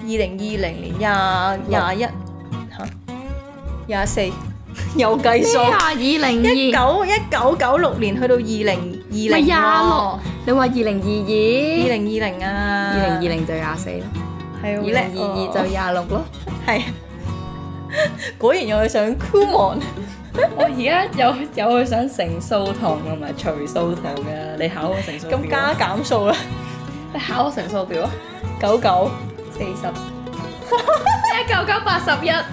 2020年21嚇24有計數。咩啊？20201996年去到2020咪26，你話2022？ 2020啊2020就24咯，係好叻2022就26咯。係果然又係上 Kumon。我而家有去上乘數堂同埋除數堂嘅，你考我乘數表？咁加減數啦你考我乘數表啊，99 ？40 19981。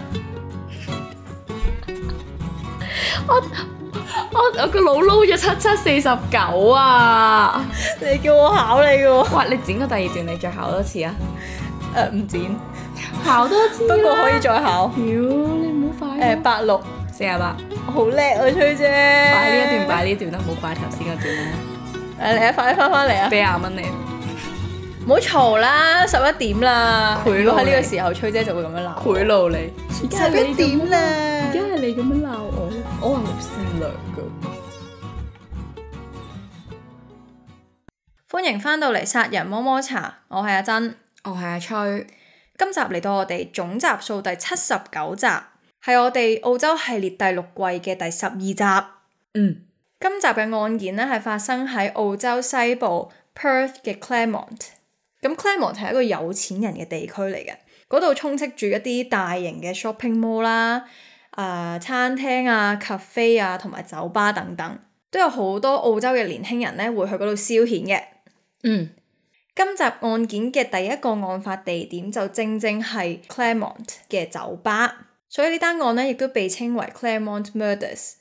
我個腦撈咗7749啊！你叫我考你嘅喎。哇！你剪個第二段，你再考多次啊！唔剪，考多次不過可以再考。屌，你唔好快。 86 48，好叻啊，崔姐。擺呢一段，擺呢一段啦，唔好擺頭先嗰段啦。嚟啊，快啲翻嚟啊！俾20蚊你。唔好嘈啦，11點啦。賄賂如果喺呢個你時候，崔姐就會咁樣鬧。賄賂你。 11點啦。而家係你咁樣鬧我，我話好善良噶。歡迎翻到嚟殺人摸摸茶，我係阿珍，我係阿崔。今集嚟到我哋總集數第79集，係我哋澳洲系列第6季嘅第12集。今集嘅案件呢係發生喺澳洲西部 Perth 嘅 Claremont。咁 Claremont 係一個有錢人嘅地區嚟嘅，嗰度充斥住一啲大型嘅 shopping mall 啦、餐廳啊、cafe 啊同埋酒吧等等，都有好多澳洲嘅年輕人呢會去嗰度消遣嘅。今集案件嘅第一個案發地點就正正係 Claremont 嘅酒吧，所以呢單案呢亦都被稱為 Claremont Murders。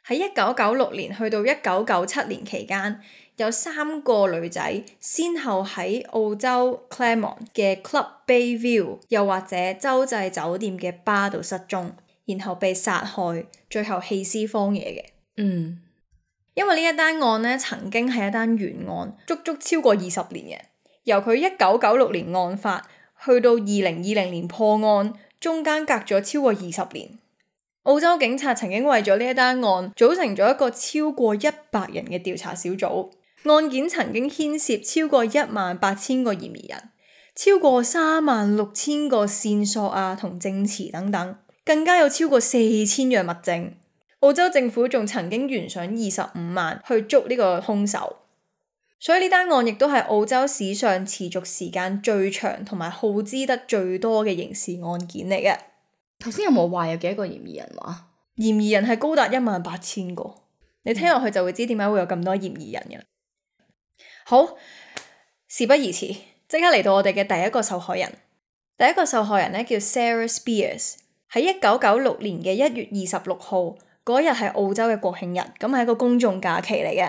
喺1996年去到1997年期間，有3個女仔先後喺澳洲 Claremont 嘅 Club Bayview 又或者洲際酒店嘅吧度失蹤，然後被殺害，最後棄屍荒野嘅。因為呢一單案呢曾經係一單懸案，足足超過20年嘅，由佢1996年案發去到2020年破案，中間隔咗超過20年。澳洲警察曾經為咗呢一單案組成咗一個超過100人嘅調查小組，案件曾經牽涉超過18000個嫌疑人，超過36000個線索啊同證詞等等，更加有超過4000樣物證。澳洲政府仲曾經懸賞25萬去捉呢個兇手，所以呢單案亦都係澳洲史上持續時間最長同埋耗資得最多嘅刑事案件嚟嘅。頭先有冇話有幾多個嫌疑人話？嫌疑人係高達18000個，你聽落去就會知點解會有咁多嫌疑人嘅。好，事不宜遲，即刻嚟到我哋嘅第一個受害人。第一個受害人呢叫 Sarah Spears， 喺1996年嘅1月26號嗰日係澳洲嘅國慶日，咁係一個公眾假期嚟嘅，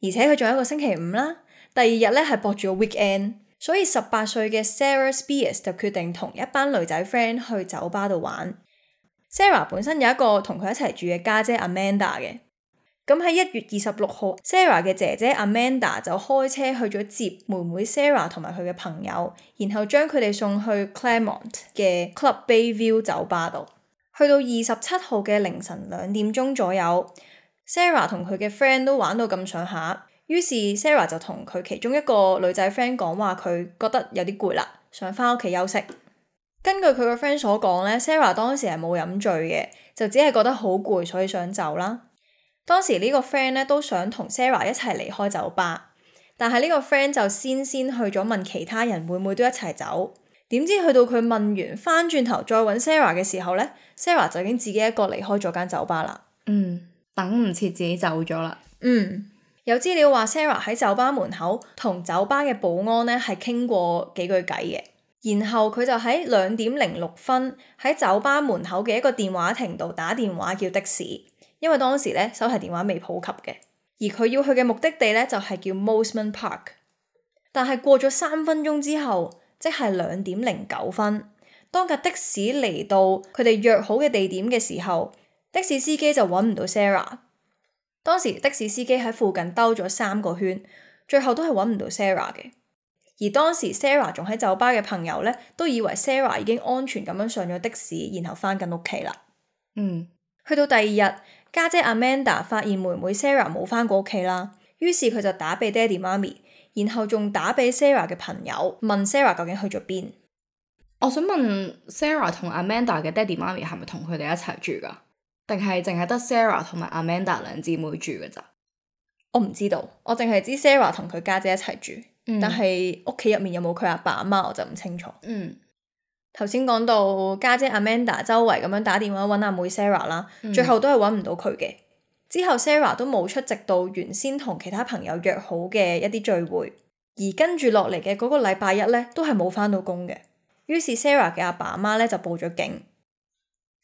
而且佢仲有一個星期五啦。第二日呢係駁住個 weekend，所以18歲嘅 Sarah Spears 就決定同一班女仔 friend 去酒吧度玩。Sarah 本身有一個同佢一齊住嘅家姐 Amanda 嘅，咁喺1月26號 Sarah 嘅姐姐 Amanda 就開車去咗接妹妹 Sarah 同埋佢嘅朋友，然後將佢哋送去 Claremont 嘅 Club Bayview 酒吧度。去到27號嘅凌晨2點鐘左右， Sarah 同佢嘅 friend 都玩到咁上下，於是 Sarah 就同佢其中一個女仔 friend 講話，佢覺得有啲攰啦，想返屋企休息。根據佢個 friend 所講呢， Sarah 當時係冇飲醉嘅，就只係覺得好攰，所以想走啦。當時呢個 friend 呢都想同 Sarah 一齊離開酒吧，但係呢個 friend 就先去咗問其他人會唔會都一齊走。點知去到佢問完翻轉頭再揾 Sarah 嘅時候呢， Sarah 就已經自己一個離開咗間酒吧啦。等唔切自己走咗啦。有資料話 Sarah 喺酒吧門口同酒吧嘅保安呢係傾過幾句偈嘅，然後佢就喺2點06分喺酒吧門口嘅一個電話亭度打電話叫的士，因為當時呢手提電話未普及嘅，而佢要去嘅目的地呢就係叫 Mosman Park。但係過咗3分鐘之後，即係2點09分，當架的士嚟到佢哋約好嘅地點嘅時候，的士司機就揾唔到 Sarah。當時的士司機喺附近兜咗3個圈，最後都係揾唔到 Sarah 嘅。而當時 Sarah 仲喺酒吧嘅朋友呢，都以為 Sarah 已經安全咁樣上咗的士，然後返緊屋企啦。去到第二日，家姐 Amanda 發現妹妹 Sarah 冇返過屋企啦，於是佢就打俾爹哋媽咪，然後仲打俾 Sarah 嘅朋友問 Sarah 究竟去咗邊。我想問 Sarah 同 Amanda 嘅爹哋媽咪係咪同佢哋一齊住㗎？定係淨係得 Sarah 同埋 Amanda 兩姊妹住㗎咋？我唔知道，我淨係知 Sarah 同佢家姐一齊住，但係屋企入面有冇佢阿爸阿媽我就唔清楚。頭先講到家姐 Amanda 周圍咁樣打電話揾阿妹 Sarah 啦，最後都係揾唔到佢嘅。之後 Sarah 都冇出席到原先同其他朋友約好嘅一啲聚會，而跟住落嚟嘅嗰個禮拜一呢，都係冇返到工嘅。於是 Sarah 嘅阿爸阿媽呢就報咗警。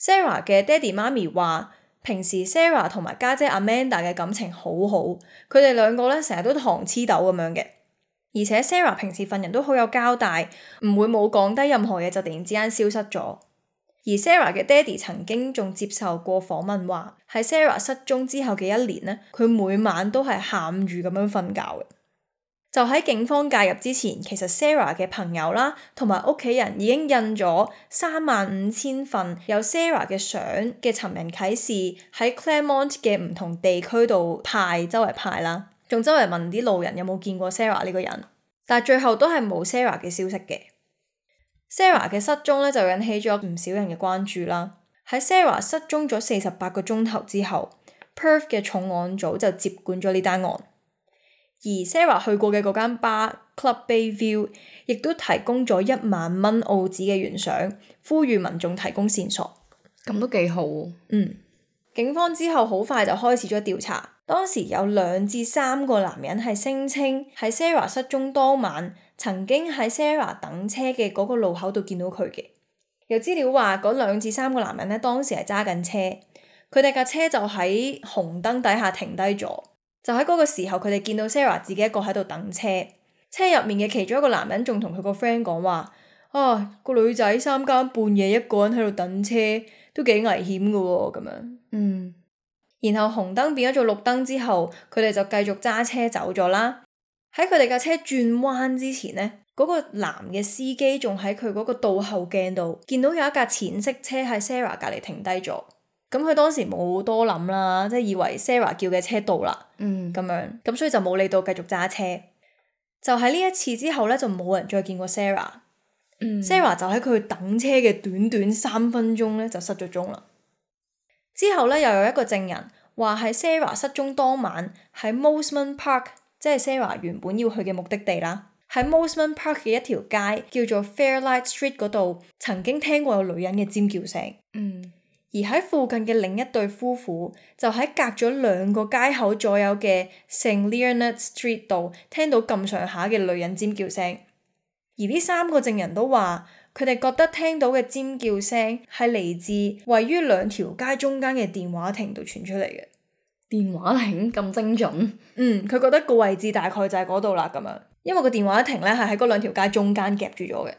Sarah 嘅爹哋媽咪話，平時 Sarah 同埋家姐 Amanda 嘅感情好好，佢哋兩個呢成日都糖黐豆咁樣嘅。而且 Sarah 平時份人都好有交代，唔會冇講低任何嘢就突然之間消失咗。而 Sarah 嘅爹哋曾經仲接受過訪問話，喺 Sarah 失蹤之後嘅一年呢，佢每晚都係喊住咁樣瞓覺嘅。就喺警方介入之前，其實 Sarah 嘅朋友啦，同埋屋企人已經印咗35,000份有 Sarah 嘅相嘅尋人啟事喺 Claremont 嘅唔同地區度周圍派啦，仲周圍問啲路人有冇見過 Sarah 呢個人，但係最後都係冇 Sarah 嘅消息嘅。Sarah 嘅失蹤咧就引起咗唔少人嘅關注啦。喺 Sarah 失蹤咗48個鐘頭之後， Perth 嘅重案組就接管咗呢單案，而 Sarah 去過嘅嗰間吧 Club Bayview 亦都提供咗1萬蚊澳紙嘅懸賞，呼籲民眾提供線索。咁都幾好。警方之後好快就開始咗調查。當時有2至3個男人係聲稱喺 Sarah 失蹤當晚曾經喺 Sarah 等車嘅嗰個路口度見到佢嘅。有資料話嗰2至3個男人呢，當時係揸緊車，佢哋架車就喺紅燈底下停低咗。就喺嗰個時候，佢哋見到 Sarah 自己一個喺度等車，車入面嘅其中一個男人仲同佢個 friend 講話：個女仔3更半夜一個人喺度等車，都幾危險㗎喎咁樣。然後紅燈變咗做綠燈之後，佢哋就繼續揸車走咗啦。喺佢哋架車轉彎之前呢，嗰個男嘅司機仲喺佢嗰個倒後鏡度見到有一架淺色車喺 Sarah 隔離停低咗。咁佢當時冇多諗啦，即係以為 Sarah 叫嘅車到啦，咁樣，咁所以就冇理到繼續揸車。就喺呢一次之後呢，就冇人再見過 Sarah。Sarah 就喺佢等車嘅短短3分鐘呢，就失咗蹤啦。之後呢，又有一個證人話喺 Sarah 失蹤當晚喺 Mosman Park， 即係 Sarah 原本要去嘅目的地啦，喺 Mosman Park 嘅一條街叫做 Fairlight Street 嗰度，曾經聽過有女人嘅尖叫聲。而喺附近嘅另一對夫婦就喺隔咗2個街口左右嘅 St. Leonard Street 度聽到咁上下嘅女人尖叫聲。而呢3個證人都話，佢哋覺得聽到嘅尖叫聲係嚟自位於2條街中間嘅電話亭度傳出嚟嘅。電話亭咁精準？佢覺得個位置大概就係嗰度啦咁樣，因為個電話亭咧係喺嗰2條街中間夾住咗嘅。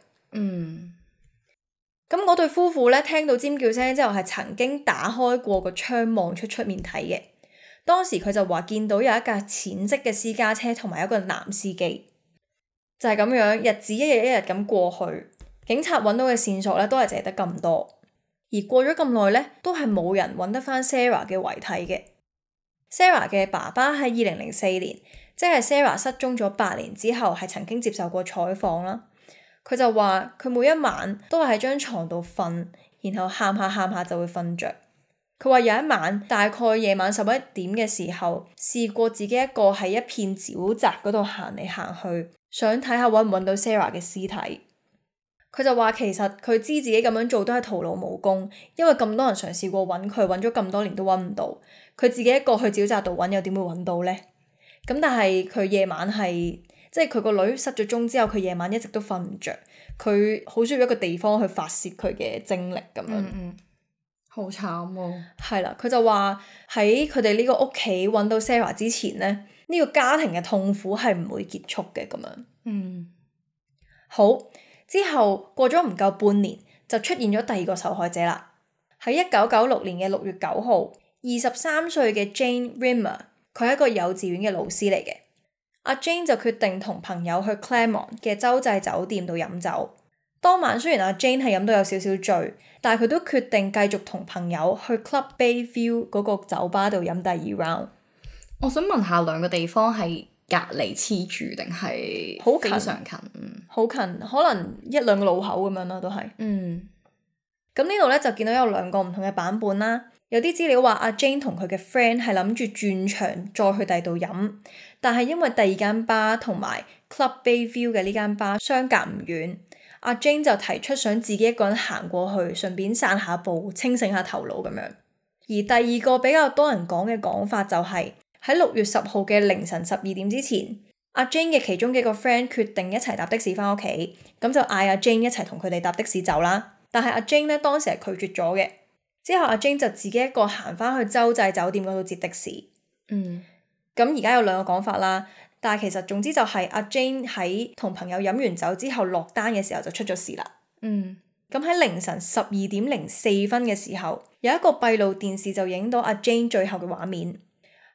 咁嗰對夫婦咧聽到尖叫聲之後係曾經打開過個窗望出面睇嘅。當時佢就話見到有一架淺色嘅私家車同埋一個男司機。就係咁樣，日子一日一日咁過去，警察揾到嘅線索咧都係淨係得咁多。而過咗咁耐咧，都係冇人揾得翻 Sarah 嘅遺體嘅。Sarah 嘅爸爸喺2004年，即係 Sarah 失蹤咗8年之後，係曾經接受過採訪啦。佢就話佢每一晚都係喺張床度瞓，然後喊下就會瞓着。佢話有一晚大概夜晚11點嘅時候，試過自己一個喺一片沼澤嗰度行嚟行去，想睇下揾唔揾到 Sarah 嘅屍體。佢就話其實佢知自己咁樣做都係徒勞無功，因為咁多人嘗試過揾佢，揾咗咁多年都揾唔到。佢自己一個去沼澤度揾，又點會揾到呢？咁但係佢夜晚係即係佢個女失咗蹤之後，佢夜晚一直都瞓唔着，佢好需要一個地方去發泄佢嘅精力咁樣。好慘喎。係啦，佢就話喺佢哋呢個屋企揾到 Sarah 之前呢，呢個家庭嘅痛苦係唔會結束嘅咁樣。好，之後過咗唔夠半年，就出現咗第2個受害者啦。喺1996年嘅6月9號，23歲嘅 Jane Rimmer， 佢係一個幼稚園嘅老師嚟嘅。阿 Jane 就決定同朋友去 Claremont 嘅洲際酒店度飲酒。當晚雖然阿 Jane 係飲到有少少醉，但係佢都決定繼續同朋友去 Club Bayview 嗰個酒吧度飲第2 round。我想問下2個地方係隔離黐住定係非常近？好近，可能1-2個路口咁樣啦，都係。咁呢度咧就見到有2個唔同嘅版本啦。有啲資料話阿 Jane 同佢嘅 friend 係諗住轉場再去第二度飲，但係因為第二間吧同埋 Club Bayview 嘅呢間吧相隔唔遠，阿 Jane 就提出想自己一個人行過去，順便散下步，清醒下頭腦咁樣。而第二個比較多人講嘅講法就係喺6月10號嘅凌晨12點之前，阿 Jane 嘅其中幾個 friend 決定一齊搭的士返屋企，咁就嗌阿 Jane 一齊同佢哋搭的士走啦。但係阿 Jane 咧當時係拒絕咗嘅。之後阿 Jane 就自己一個行返去洲際酒店嗰度接的士。咁而家有2個講法啦，但係其實總之就係阿 Jane 喺同朋友飲完酒之後落單嘅時候就出咗事啦。咁喺凌晨12點04分嘅時候，有一個閉路電視就影到阿 Jane 最後嘅畫面。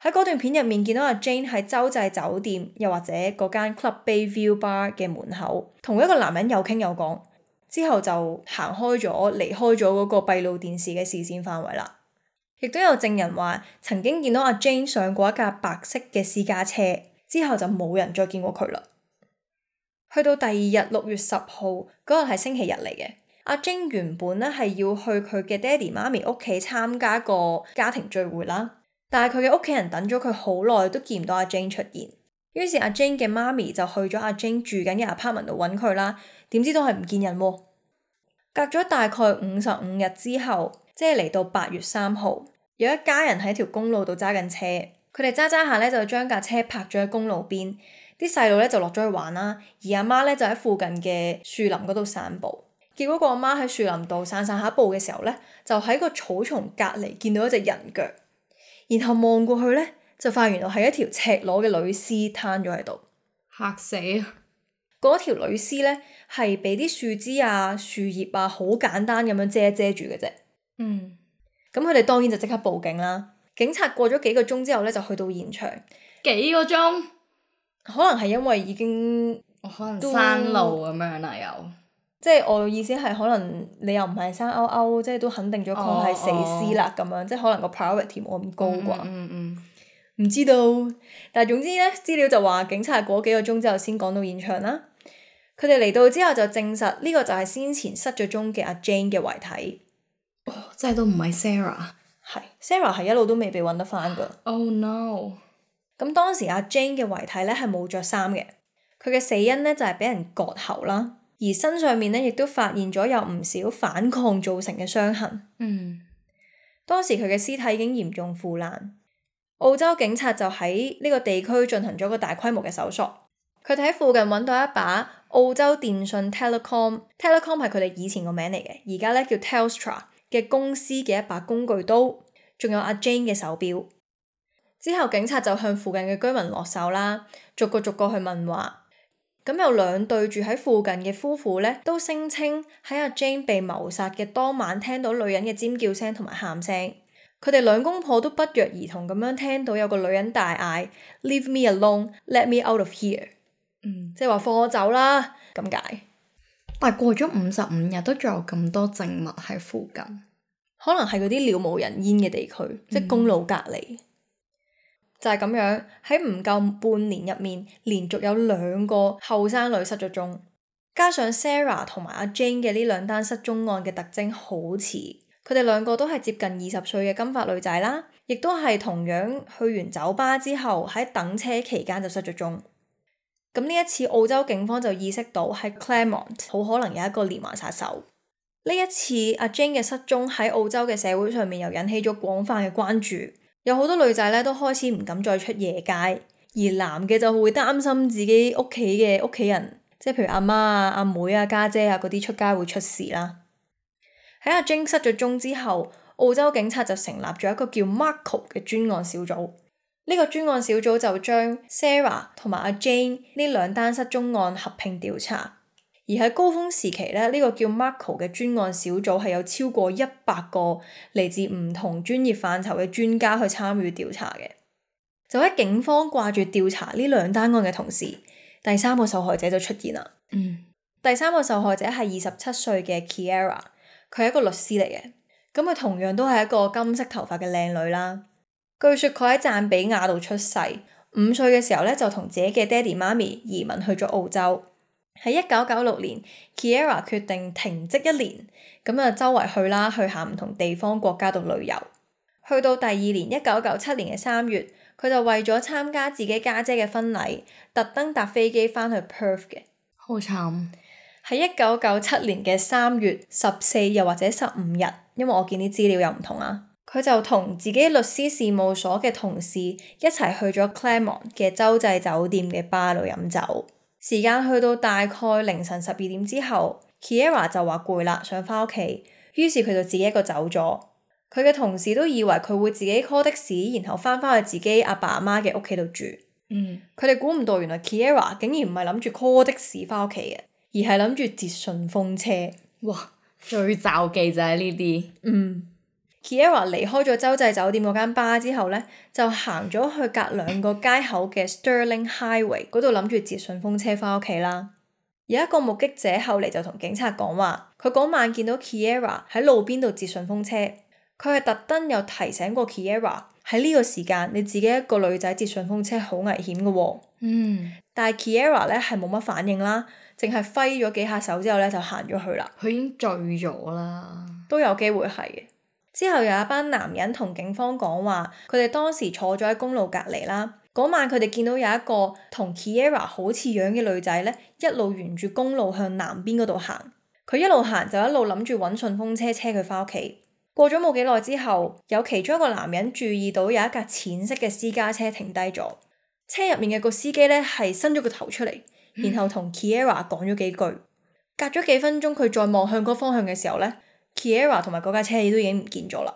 喺嗰段片入面見到阿 Jane 喺洲際酒店又或者嗰間 Club Bayview Bar 嘅門口，同一個男人有傾有講。之後就行開咗，離開咗嗰個閉路電視嘅視線範圍啦。亦都有證人話曾經見到阿 Jane 上過一架白色嘅私家車，之後就冇人再見過佢啦。去到第二日6月10號嗰日係星期日嚟嘅，阿 Jane 原本咧係要去佢嘅爹哋媽咪屋企參加個家庭聚會啦，但係佢嘅屋企人等咗佢好耐都見唔到阿 Jane 出現，於是阿 Jane 嘅媽咪就去咗阿 Jane 住緊嘅 apartment 度揾佢啦。點知都係唔見人喎。隔咗大概55日之後，即係嚟到8月3號，有一家人喺條公路度揸緊車，佢哋揸下咧就將架車泊咗喺公路邊，啲細路咧就落咗去玩啦，而阿媽咧就喺附近嘅樹林嗰度散步。結果個阿媽喺樹林度散下步嘅時候咧，就喺個草叢隔離見到一隻人腳，然後望過去咧就發現原來係一條赤裸嘅女屍攤咗喺度，嚇死！嗰條女屍咧係俾啲樹枝啊、樹葉啊好簡單咁樣遮住嘅啫。咁佢哋當然就即刻報警啦。警察過咗幾個鐘之後咧就去到現場。幾個鐘？可能係因為已經可能山路咁樣啦，又即係我意思係可能你又唔係生勾勾，即係都肯定咗佢係死屍啦咁樣，即係可能個 priority 冇咁高啩。唔知道，但係總之咧資料就話警察過幾個鐘之後先趕到現場啦。佢哋嚟到之後就證實呢個就係先前失咗蹤嘅阿 Jane 嘅遺體。即係都唔係 Sarah。係 Sarah 係一路都未被揾得返㗎。Oh no！咁當時阿 Jane 嘅遺體咧係冇着衫嘅，佢嘅死因咧就係俾人割喉啦，而身上面咧亦都發現咗有唔少反抗造成嘅傷痕。當時佢嘅屍體已經嚴重腐爛。澳洲警察就喺呢個地區進行咗個大規模嘅搜索。佢哋喺附近揾到一把澳洲電訊 Telecom 係佢哋以前個名嚟嘅，而家咧叫 Telstra 嘅公司嘅一把工具刀，仲有阿 Jane 嘅手錶。之後警察就向附近嘅居民落手啦，逐個去問話。咁有2對住喺附近嘅夫婦咧，都聲稱喺阿 Jane 被謀殺嘅當晚聽到女人嘅尖叫聲同埋喊聲。佢哋2公婆都不約而同咁樣聽到有個女人大嗌 Leave me alone, let me out of here。即係話放我走啦咁解。但係過咗55日都仲有咁多證物喺附近，可能係嗰啲了無人煙嘅地區，即係公路隔離。就係咁樣，喺唔夠半年入面，連續有2個後生女失咗蹤，加上 Sarah 同埋阿 Jane 嘅呢2單失蹤案嘅特徵好似，佢哋2個都係接近20歲嘅金髮女仔啦，亦都係同樣去完酒吧之後喺等車期間就失咗蹤。咁呢一次澳洲警方就意識到喺 Claremont 好可能有一個連環殺手。呢一次阿 Jane 嘅失蹤喺澳洲嘅社會上面又引起咗廣泛嘅關注，有好多女仔咧都開始唔敢再出夜街，而男嘅就會擔心自己屋企嘅屋企人，即係譬如阿媽啊、阿妹啊、家姐啊嗰啲出街會出事啦。喺阿 Jane 失咗蹤之後，澳洲警察就成立咗一個叫 Marco 嘅專案小組。呢個專案小組就將 Sarah 同埋阿 Jane 呢2單失蹤案合併調查，而喺高峰時期咧，呢個叫 Marco 嘅專案小組係有超過100個嚟自唔同專業範疇嘅專家去參與調查嘅。就喺警方掛住調查呢2單案嘅同時，第3個受害者就出現啦。第3個受害者係27歲嘅 Kiera， 佢係一個律師嚟嘅，咁佢同樣都係一個金色頭髮嘅靚女啦。據說佢喺贊比亞度出世，5歲嘅時候咧就同自己嘅爹哋媽咪移民去咗澳洲。喺1996年 Kiera 決定停職1年，咁啊周圍去啦，去下唔同地方國家度旅遊。去到第二年1997年嘅3月，佢就為咗參加自己家姐嘅婚禮，特登搭飛機返去 Perth 嘅。好慘。喺1997年嘅3月14又或者15日，因為我見啲資料又唔同啊，佢就同自己律師事務所嘅同事一齊去咗 Claremont 嘅洲際酒店嘅吧度飲酒。時間去到大概凌晨12點之後 Kiera 就話攰啦，想返屋企，於是佢就自己一個走咗。佢嘅同事都以為佢會自己 call 的士，然後返去自己阿爸阿媽嘅屋企度住。佢哋估唔到原來 Kiera 竟然唔係諗住 call 的士返屋企嘅，而係諗住截順風車。哇！最罩忌就係呢啲。Kiera 離開咗洲際酒店嗰間吧之後呢，就行咗去隔2個街口嘅 Stirling Highway 嗰度諗住截順風車返屋企啦。有一個目擊者後嚟就同警察講話，佢嗰晚見到 Kiera 喺路邊度截順風車，佢係特登有提醒過 Kiera 喺呢個時間你自己一個女仔截順風車好危險嘅喎。但係 Kiera 呢係冇乜反應啦，淨係揮咗幾下手之後呢就行咗去啦。佢已經醉咗啦。都有機會係嘅。之後有一班男人同警方講話，佢哋當時坐咗喺公路隔離啦。嗰晚佢哋見到有一個同 Kiera 好似樣嘅女仔呢，一路沿住公路向南邊嗰度行。佢一路行就一路諗住揾順風車車佢返屋企。過咗冇幾耐之後，有其中一個男人注意到有一架淺色嘅私家車停低咗，車入面嘅個司機呢係伸咗個頭出嚟，然後同 Kiera 講咗幾句。隔咗幾分鐘，佢再望向嗰方向嘅時候呢，Kiera 同埋嗰架車都已經唔見咗啦。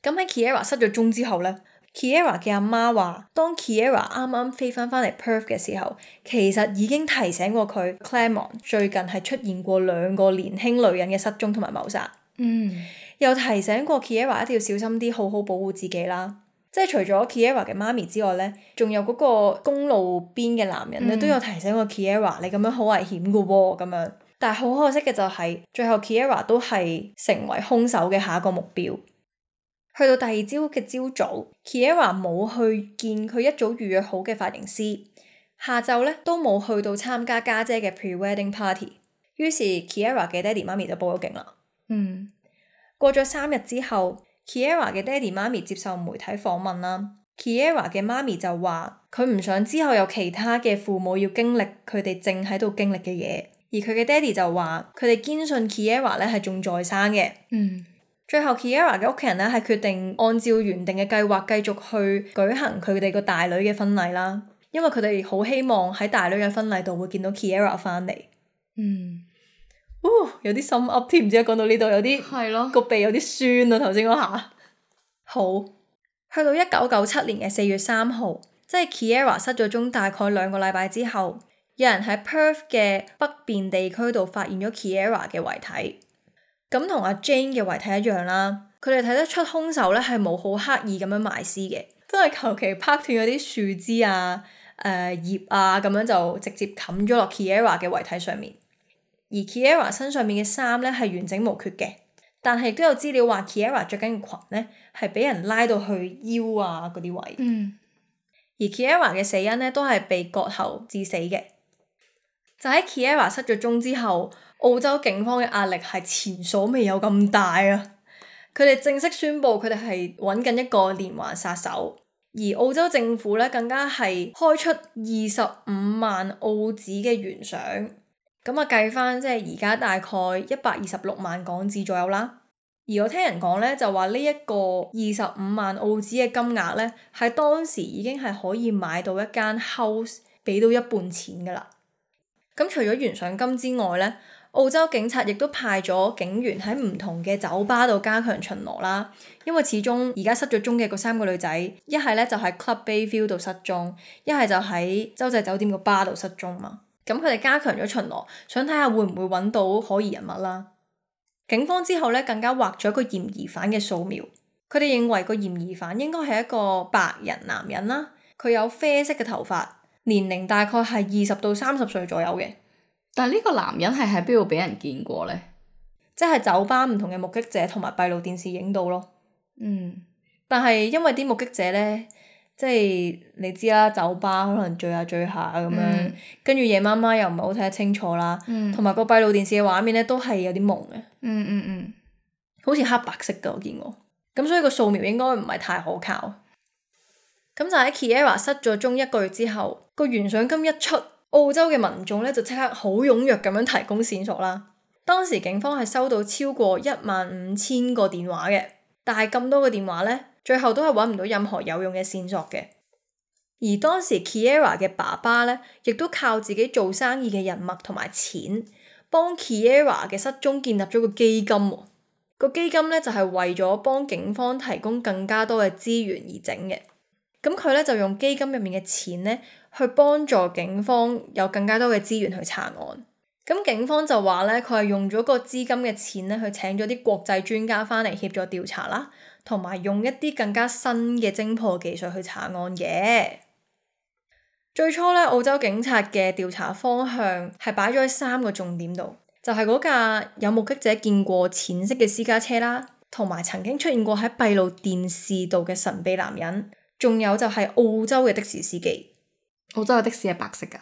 咁喺 Kiera 失咗蹤之後呢， Kiera 嘅阿媽話，當 Kiera 啱啱飛返嚟 Perth 嘅時候，其實已經提醒過佢 Claremont 最近係出現過2個年輕女人嘅失蹤同埋謀殺。又提醒過 Kiera 一定要小心啲，好好保護自己啦。即係除咗 Kiera 嘅媽咪之外呢，仲有嗰個公路邊嘅男人呢，都有提醒過 Kiera 你咁樣好危險㗎喎咁樣。但係好可惜嘅就係，最後 Kiera 都係成為兇手嘅下一個目標。去到第二朝嘅朝早 Kiera 冇去見佢一早預約好嘅髮型師，下晝呢都冇去到參加家姐嘅 pre-wedding party。於是 Kiera 嘅爹哋媽咪就報咗警啦。過咗3日之後 Kiera 嘅爹哋媽咪接受媒體訪問啦。Kiera 嘅媽咪就話佢唔想之後有其他嘅父母要經歷佢哋正喺度經歷嘅嘢。而佢嘅爹哋就話佢哋堅信 Kiera 咧係仲在生嘅。最後 Kiera 嘅屋企人咧係決定按照原定嘅計劃繼續去舉行佢哋個大女嘅婚禮啦，因為佢哋好希望喺大女嘅婚禮度會見到 Kiera 返嚟。有啲心噏添，唔知講到呢度有啲個鼻有啲酸啊，頭先嗰下。好，去到1997年嘅4月3號，即係 Kiera 失咗蹤大概2個禮拜之後，有人喺 Perth 嘅北邊地區度發現咗 Kiera 嘅遺體。咁同阿 Jane 嘅遺體一樣啦，佢哋睇得出兇手咧係冇好刻意咁樣埋屍嘅，都係求其拍斷嗰啲樹枝啊、葉啊咁樣就直接冚咗落 Kiera 嘅遺體上面。而 Kiera 身上面嘅衫咧係完整無缺嘅，但係亦都有資料話 Kiera 着緊嘅裙咧係俾人拉到去腰啊嗰啲位。而 Kiera 嘅死因咧都係被割喉致死嘅。就喺 Kiera 失咗蹤之後，澳洲警方嘅壓力係前所未有咁大啊！佢哋正式宣布佢哋係揾緊一個連環殺手，而澳洲政府咧更加係開出25萬澳紙嘅懸賞，咁啊計翻即係而家大概126萬港紙左右啦。而我聽人講咧就話呢一個25萬澳紙嘅金額咧，喺當時已經係可以買到一間 house 俾到一半錢噶啦。咁除咗懸賞金之外咧，澳洲警察亦都派咗警員喺唔同嘅酒吧度加強巡邏啦。因為始終而家失咗蹤嘅嗰3個女仔，一係咧就喺 Club Bayview 度失蹤，一係就喺洲際酒店個吧度失蹤嘛。咁佢哋加強咗巡邏，想睇下會唔會揾到可疑人物啦。警方之後咧更加畫咗一個嫌疑犯嘅素描，佢哋認為個嫌疑犯應該係一個白人男人啦，佢有啡色嘅頭髮，年齡大概係20到30歲左右嘅。但係呢個男人係喺邊度俾人見過呢？即係酒吧唔同嘅目擊者同埋閉路電視影到咯。但係因為啲目擊者呢，即係你知啦，酒吧可能聚下咁樣，跟住夜媽媽又唔係好睇得清楚啦，同埋個閉路電視嘅畫面咧都係有啲朦嘅，好似黑白色㗎我見過，咁所以個掃描應該唔係太可靠。咁就喺 Kiera 失咗蹤1個月之後，個懸賞金一出，澳洲嘅民眾咧就即刻好踴躍咁樣提供線索啦。當時警方係收到超過15000個電話嘅，但係咁多個電話咧，最後都係揾唔到任何有用嘅線索嘅。而當時 Kiera 嘅爸爸咧，亦都靠自己做生意嘅人脈同埋錢，幫 Kiera 嘅失蹤建立咗個基金喎。個基金咧就係為咗幫警方提供更加多嘅資源而整嘅。咁佢咧就用基金入面嘅錢咧，去幫助警方有更加多嘅資源去查案。咁警方就話咧，佢係用咗個資金嘅錢咧，去請咗啲國際專家翻嚟協助調查啦，同埋用一啲更加新嘅偵破技術去查案嘅。最初咧，澳洲警察嘅調查方向係擺咗喺3個重點度，就係嗰架有目擊者見過淺色嘅私家車啦，同埋曾經出現過喺閉路電視度嘅神秘男人。仲有就係澳洲嘅的士司機。澳洲嘅的士係白色㗎？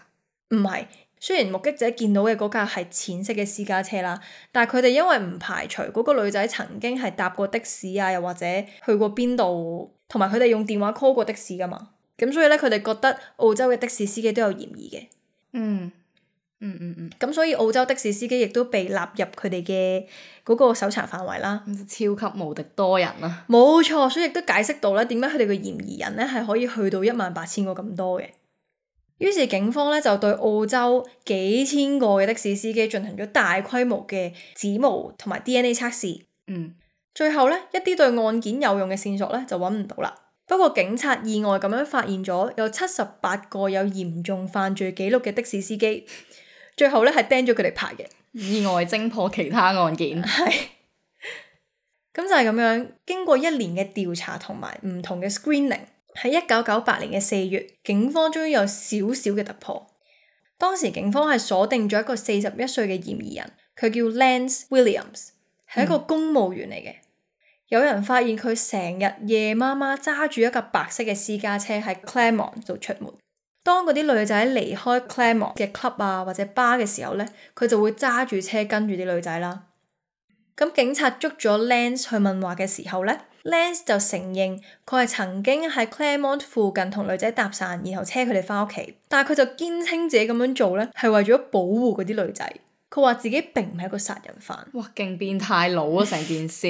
唔係，雖然目擊者見到嘅嗰架係淺色嘅私家車啦，但係佢哋因為唔排除嗰個女仔曾經係搭過的士啊，又或者去過邊度，同埋佢哋用電話 call 過的士㗎嘛，咁所以咧佢哋覺得澳洲嘅的士司機都有嫌疑嘅。咁所以澳洲的士司機亦都被納入佢哋嘅嗰個搜查範圍啦。超級無敵多人啊！冇錯，所以亦都解釋到咧點解佢哋嘅嫌疑人咧係可以去到18000個咁多嘅。於是警方咧就對澳洲幾千個嘅的士司機進行咗大規模嘅指模同埋 DNA 測試。最後咧一啲對案件有用嘅線索咧就揾唔到啦。不過警察意外咁樣發現咗有78個有嚴重犯罪記錄嘅的士司機。最後咧係釘咗佢哋牌嘅，意外偵破其他案件。係，咁就係咁樣。經過1年嘅調查同埋唔同嘅 screening， 喺1998年嘅4月，警方終於有少少嘅突破。當時警方係鎖定咗一個41歲嘅嫌疑人，佢叫 Lance Williams， 係一個公務員嚟嘅。有人發現佢成日夜媽媽揸住一架白色嘅私家車喺 Claremont 度出門。當嗰啲女仔離開 Claremont 嘅 club 啊或者 bar 嘅時候咧，佢就會揸住車跟住啲女仔啦。咁警察捉咗 Lance 去問話嘅時候咧， Lance 就承認佢係曾經喺 Claremont 附近同女仔搭訕，然後車佢哋翻屋企。但係佢就堅稱自己咁樣做咧係為咗保護嗰啲女仔。佢話自己並唔係一個殺人犯。哇，勁變態佬啊！成件事。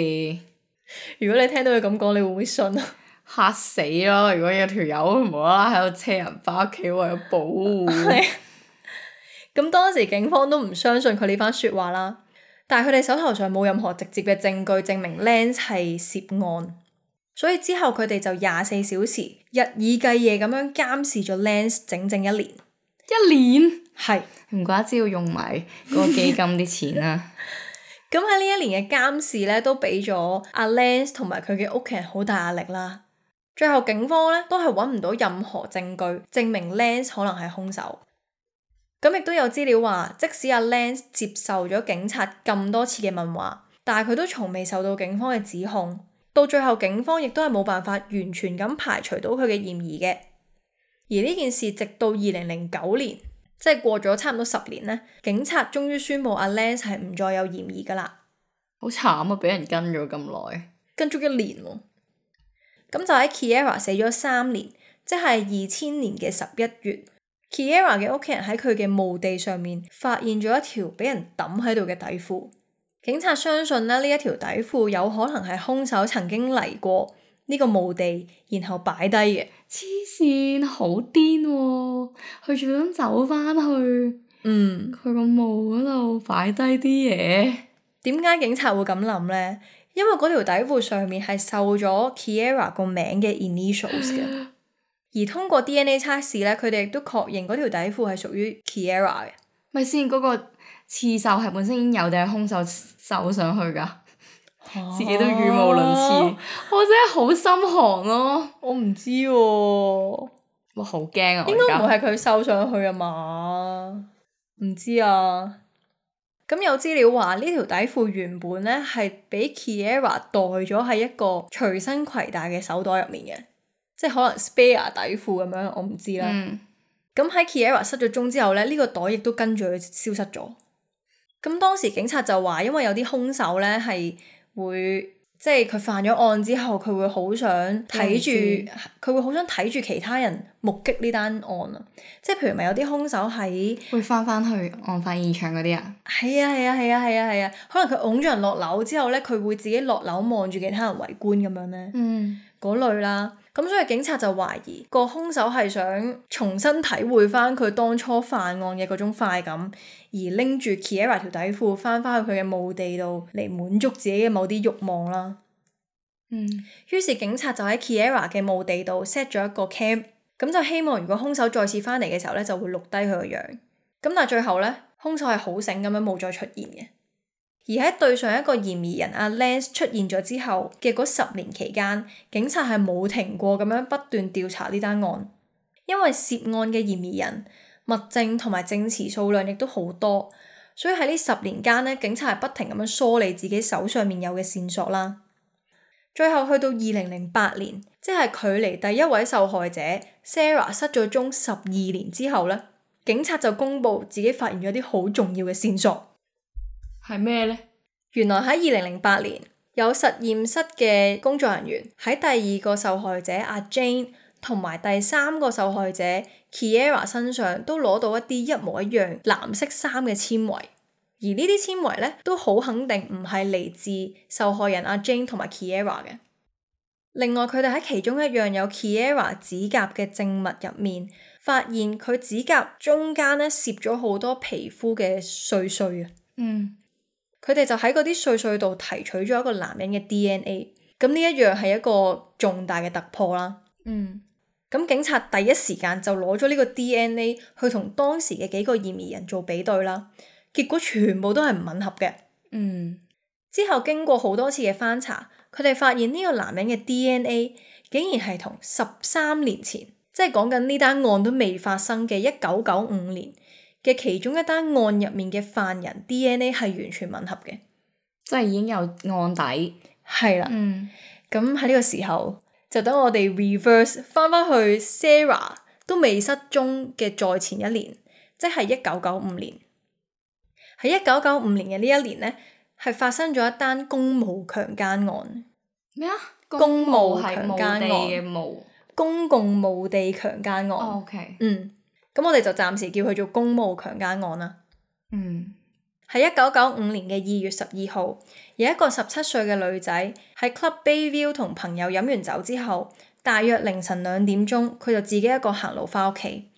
如果你聽到佢咁講，你會唔會信啊？嚇死咯！如果有條友無啦啦喺度車人翻屋企，為咗保護。咁當時警方都唔相信佢呢番説話啦，但係佢哋手頭上冇任何直接嘅證據證明 Lance 係涉案，所以之後佢哋就24小時日以繼夜咁樣監視咗 Lance 整整1年。1年？係。唔怪之要用埋嗰個基金啲錢啦。咁喺呢1年嘅監視咧，都俾咗阿 Lance 同埋佢嘅屋企人好大壓力啦。最後警方咧都係揾唔到任何證據證明 Lance 可能係兇手。咁亦都有資料話，即使阿 Lance 接受咗警察咁多次嘅問話，但係佢都從未受到警方嘅指控。到最後警方亦都係冇辦法完全咁排除到佢嘅嫌疑嘅。而呢件事直到2009年，即係過咗差唔多10年咧，警察終於宣布阿 Lance 係唔再有嫌疑噶啦。好慘啊！俾人跟咗咁耐，跟足1年喎。咁就喺 Kiera 死咗3年，即係2000年嘅11月，Kiera 嘅屋企人喺佢嘅墓地上面發現咗一條俾人抌喺度嘅底褲。警察相信咧呢一條底褲有可能係兇手曾經嚟過呢個墓地，然後擺低嘅。黐線，好癲喎！佢仲想走翻去，佢個墓嗰度擺低啲嘢。點解警察會咁諗呢？因為嗰條底褲上面係繡咗 Kiera 個名嘅 initials 嘅，而通過 DNA 測試咧，佢哋亦都確認嗰條底褲係屬於 Kiera 嘅。咪先，嗰個刺繡係本身已經有定係兇手繡上去噶？自己都語無倫次，我真係好心寒咯。我唔知喎。哇，好驚啊！應該唔會係佢繡上去啊嘛？唔知啊。咁有資料話呢條底褲原本咧係俾 Kiera 袋咗喺一個隨身攜帶嘅手袋入面嘅，即係可能 spare 底褲咁樣，我唔知啦。咁喺 Kiera 失咗蹤之後咧，呢個袋亦都跟住佢消失咗。咁當時警察就話，因為有啲兇手咧係會即係佢犯咗案之後，佢會好想睇住，佢會好想睇住其他人目擊呢單案啊！即係譬如咪有啲兇手喺會翻去案發現場嗰啲啊？係啊！可能佢擁咗人落樓之後咧，佢會自己落樓望住其他人圍觀咁樣咧，嗰類啦。咁所以警察就懷疑個兇手係想重新體會翻佢當初犯案嘅嗰種快感，而拎住 Kiera 條底褲翻去佢嘅墓地度嚟滿足自己嘅某啲慾望啦。於是警察就喺 Kiera 嘅墓地度 set 咗一個 cam， 咁就希望如果兇手再次翻嚟嘅時候咧，就會錄低佢個樣。咁但係最後咧，兇手係好醒咁樣冇再出現嘅。而喺對上一個嫌疑人阿 Lance 出現咗之後嘅嗰10年期間，警察係冇停過咁樣不斷調查呢單案，因為涉案嘅嫌疑人、物證同埋證詞數量亦都好多，所以喺呢10年間咧，警察係不停咁樣梳理自己手上面有嘅線索啦。最後去到2008年，即係距離第一位受害者 Sarah 失咗蹤12年之後咧，警察就公布自己發現咗啲好重要嘅線索。係咩呢？原來喺2008年，有實驗室嘅工作人員喺第2個受害者阿 Jane 同埋第3個受害者 Kiera 身上都攞到一啲一模一樣藍色衫嘅纖維，而呢啲纖維咧都好肯定唔係嚟自受害人阿 Jane 同埋 Kiera 嘅。另外，佢哋喺其中一樣有 Kiera 指甲嘅證物入面，發現佢指甲中間咧攝咗好多皮膚嘅碎碎啊。佢哋就喺嗰啲碎碎度提取咗一個男人嘅 DNA， 咁呢一樣係一個重大嘅突破啦。咁警察第一時間就攞咗呢個 DNA 去同當時嘅幾個嫌疑人做比對啦，結果全部都係唔吻合嘅。之後經過好多次嘅翻查，佢哋發現呢個男人嘅 DNA 竟然係同13年前，即係講緊呢單案都未發生嘅1995年嘅其中一單案入面嘅犯人 DNA 係完全吻合嘅，即係已經有案底。係啦。咁喺呢個時候，就等我哋 reverse 翻去 Sarah 都未失蹤嘅再前一年，即係1995年。喺1995年嘅呢一年呢，係發生咗一單公墓強姦案。咩啊？公墓強姦案嘅墓，公共墓地強姦案。OK。咁我哋就暫時叫佢做公墓強姦案啦。喺1995年嘅2月12號，有一個17歲嘅女仔喺 Club Bayview 同朋友飲完酒之後，大約凌晨2點鐘，佢就自己一個行路翻屋企。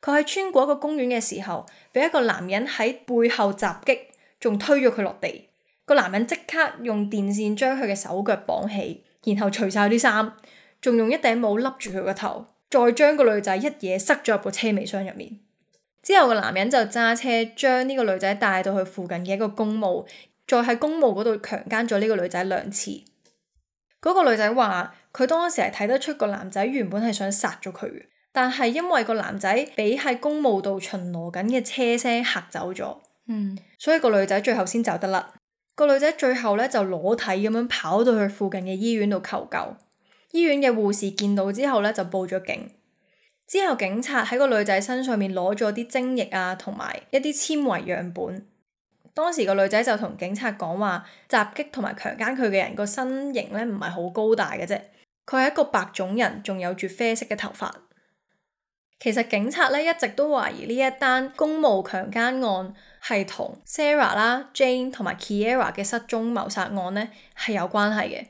佢喺穿過一個公園嘅時候，俾一個男人喺背後襲擊，仲推咗佢落地。個男人即刻用電線將佢嘅手腳綁起，然後除晒啲衫，仲用一頂帽笠住佢個頭，再將個女仔一嘢塞咗入個車尾箱入面。之後個男人就揸車將呢個女仔帶到去附近嘅一個公墓，再喺公墓嗰度強姦咗呢個女仔2次。嗰個女仔話佢當時係睇得出個男仔原本係想殺咗佢嘅，但係因為個男仔俾喺公墓度巡邏緊嘅車聲嚇走咗，所以個女仔最後先走得甩。個女仔最後咧就裸體咁樣跑到去附近嘅醫院度求救，醫院嘅護士見到之後咧就報咗警。之後警察喺個女仔身上面攞咗啲精液啊，同埋一啲纖維樣本。當時個女仔就同警察講話，襲擊同埋強姦佢嘅人個身形咧唔係好高大嘅啫，佢係一個白種人，仲有住啡色嘅頭髮。其實警察咧一直都懷疑呢一單公墓強姦案係同 Sarah 啦、Jane 同埋 Kiera 嘅失蹤謀殺案咧係有關係嘅，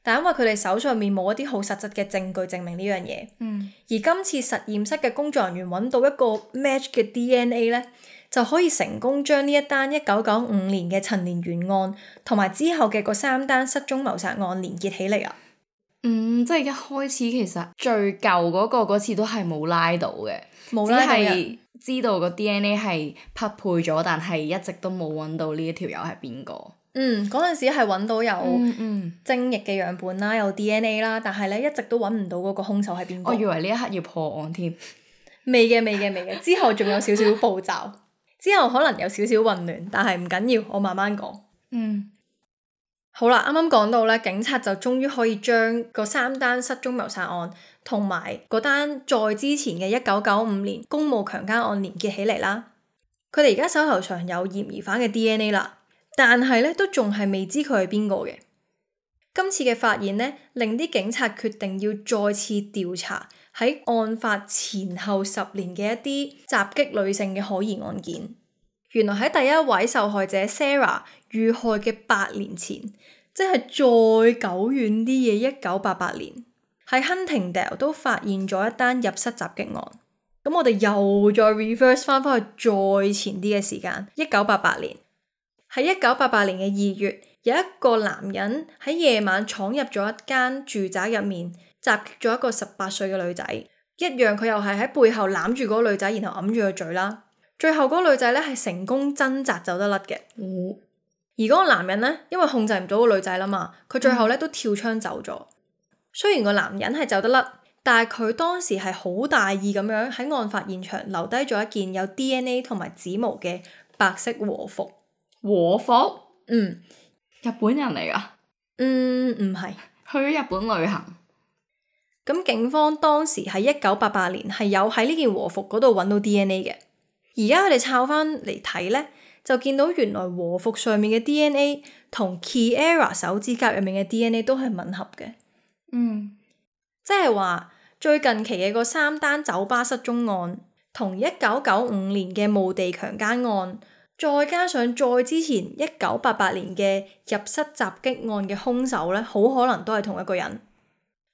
但因為佢哋手上面冇一啲好實質嘅證據證明呢樣嘢。而今次實驗室嘅工作人員揾到一個 match 嘅 DNA 咧，就可以成功將呢一單1995年嘅陳年懸案同埋之後嘅嗰3單失蹤謀殺案連結起嚟啊！即係一開始其實最舊嗰次都係冇拉到嘅，冇拉到嘅，只係知道個 DNA 係匹配咗，但係一直都冇揾到呢一條友係邊個。嗰陣時係揾到有精液嘅樣本啦，有 DNA 啦，但係咧一直都揾唔到嗰個兇手係邊個。我以為呢一刻要破案添。未嘅，之後仲有少少步驟，之後可能有少少混亂，但係唔緊要，我慢慢講。好啦，啱啱講到咧，警察就終於可以將嗰3單失蹤謀殺案同埋嗰單再之前嘅1995年公務強姦案連結起嚟啦。佢哋而家手頭上有嫌疑犯嘅 DNA 啦，但係咧都仲係未知佢係邊個嘅。今次嘅發現咧，令啲警察決定要再次調查喺案發前後10年嘅一啲襲擊女性嘅可疑案件。原來喺第一位受害者 Sarah 遇害嘅8年前，即係再久遠啲嘅1988年，喺 Huntingdale 都發現咗一單入室襲擊案。咁我哋又再 reverse 翻去再前啲嘅時間，1988年。喺1988年嘅2月，有一個男人喺夜晚闖入咗一間住宅入面，襲擊咗一個18歲嘅女仔。一樣佢又係喺背後攬住嗰個女仔，然後揞住個嘴啦。最後嗰個女仔咧係成功掙扎走得甩嘅。而嗰個男人咧，因為控制唔到個女仔啦嘛，佢最後咧都跳窗走咗。雖然個男人係走得甩，但係佢當時係好大意咁樣喺案發現場留低咗一件有 DNA 同埋指模嘅白色和服。和服？日本人嚟噶？唔係。去咗日本旅行。咁警方當時喺1988年係有喺呢件和服嗰度揾到 DNA 嘅。而家佢哋抄翻嚟睇咧，就見到原來和服上面嘅 DNA 同 Kiera 手指甲入面嘅 DNA 都係吻合嘅。即係話最近期嘅嗰3單酒吧失蹤案，同1995年嘅墓地強姦案，再加上再之前1988年嘅入室襲擊案嘅兇手咧，好可能都係同一個人。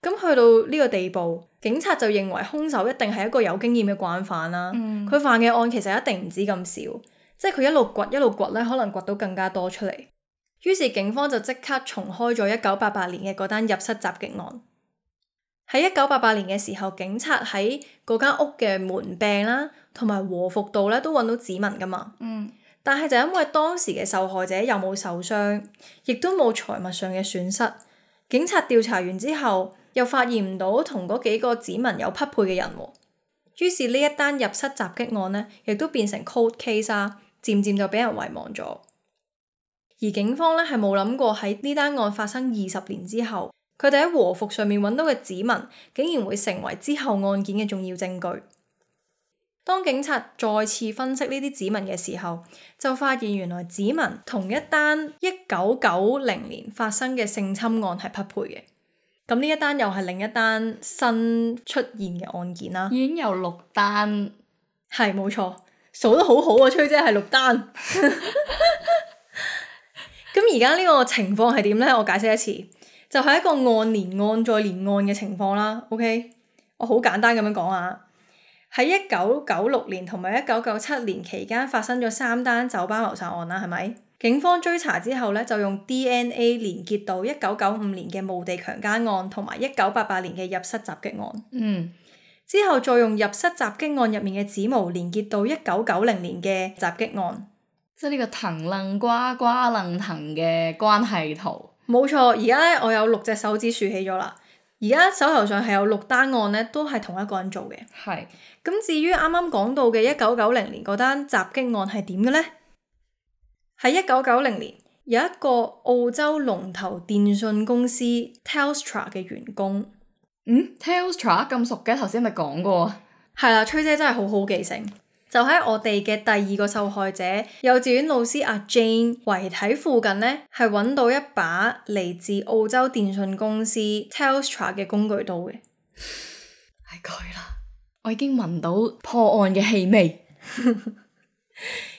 咁去到呢個地步，警察就認為兇手一定係一個有經驗嘅慣犯啦。佢犯嘅案其實一定唔止咁少，即係佢一路掘一路掘咧，可能掘到更加多出嚟。於是警方就即刻重開咗1988年嘅嗰單入室襲擊案。喺1988年嘅時候，警察喺嗰間屋嘅門柄啦，同埋和服度咧都揾到指紋噶嘛。但係就因為當時嘅受害者又冇受傷，亦都冇財物上嘅損失，警察調查完之後，又發現唔到同嗰幾個指紋有匹配嘅人喎。於是呢一單入室襲擊案呢，亦都變成 cold case 啊，漸漸就俾人遺忘咗。而警方呢，係冇諗過喺呢單案發生20年之後，佢哋喺和服上面揾到嘅指紋，竟然會成為之後案件嘅重要證據。當警察再次分析呢啲指紋嘅時候，就發現原來指紋同一單1990年發生嘅性侵案係匹配嘅。咁呢一單又係另一單新出現嘅案件啦。已經有6單，係冇錯，數得好好啊，崔姐係6單。咁而家呢個情況係點呢？我解釋一次，就係一個案連案再連案嘅情況啦。OK，我好簡單咁樣講啊。喺1996年同埋1997年期間發生咗3單酒吧謀殺案啦，係咪？警方追查之後咧，就用 DNA 連結到1995年嘅墓地強姦案同埋1988年嘅入室襲擊案。之後再用入室襲擊案入面嘅指模連結到1990年嘅襲擊案。即係呢個藤楞瓜瓜楞藤嘅關係圖。冇錯，而家咧我有6隻手指豎起咗啦。而家手頭上係有6單案咧，都係同一個人做嘅。係。咁至於啱啱講到嘅1990年嗰單襲擊案係點嘅呢？喺1990年，有一個澳洲龍頭電訊公司 Telstra 嘅員工。Telstra 咁熟嘅，頭先咪講過。係啦，崔姐真係好好記性。就喺我哋嘅第2個受害者幼稚園老師阿 Jane 遺體附近呢，係揾到一把嚟自澳洲電訊公司 Telstra 嘅工具刀嘅。係佢啦，我已經聞到破案嘅氣味。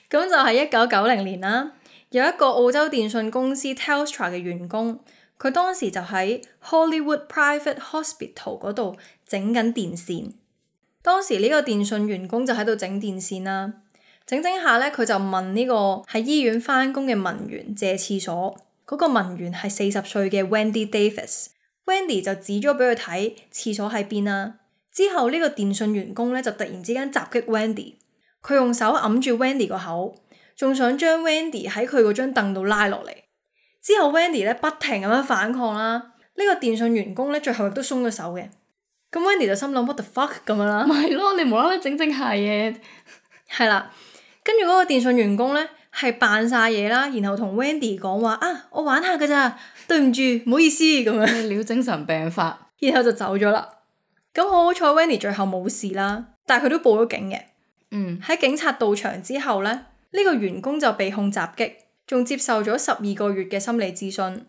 咁就係1990年啦，有一個澳洲電訊公司 Telstra 嘅員工，佢當時就喺 Hollywood Private Hospital 嗰度整緊電線。當時呢個電訊員工就喺度整電線啦，整下咧，佢就問呢個喺醫院返工嘅文員借廁所。嗰個文員係40歲嘅 Wendy Davis。Wendy 就指咗俾佢睇廁所喺邊啦。之後呢個電訊員工咧就突然之間襲擊 Wendy。佢用手揞住 Wendy 個口，仲想將 Wendy 喺佢嗰張凳度拉落嚟。之後 Wendy 咧不停咁樣反抗啦，呢個電訊員工咧最後亦都鬆咗手嘅。咁 Wendy 就心諗 what the fuck 咁樣啦。咪係咯，你無啦啦整下嘢。係啦，跟住嗰個電訊員工咧係扮晒嘢啦，然後同 Wendy 講話啊，我玩下㗎咋，對唔住，唔好意思咁樣，咩料精神病發，然後就走咗啦。咁好彩 Wendy 最後冇事啦，但係佢都報咗警嘅。喺警察到場之後呢，呢個員工就被控襲擊，仲接受咗12個月嘅心理諮詢。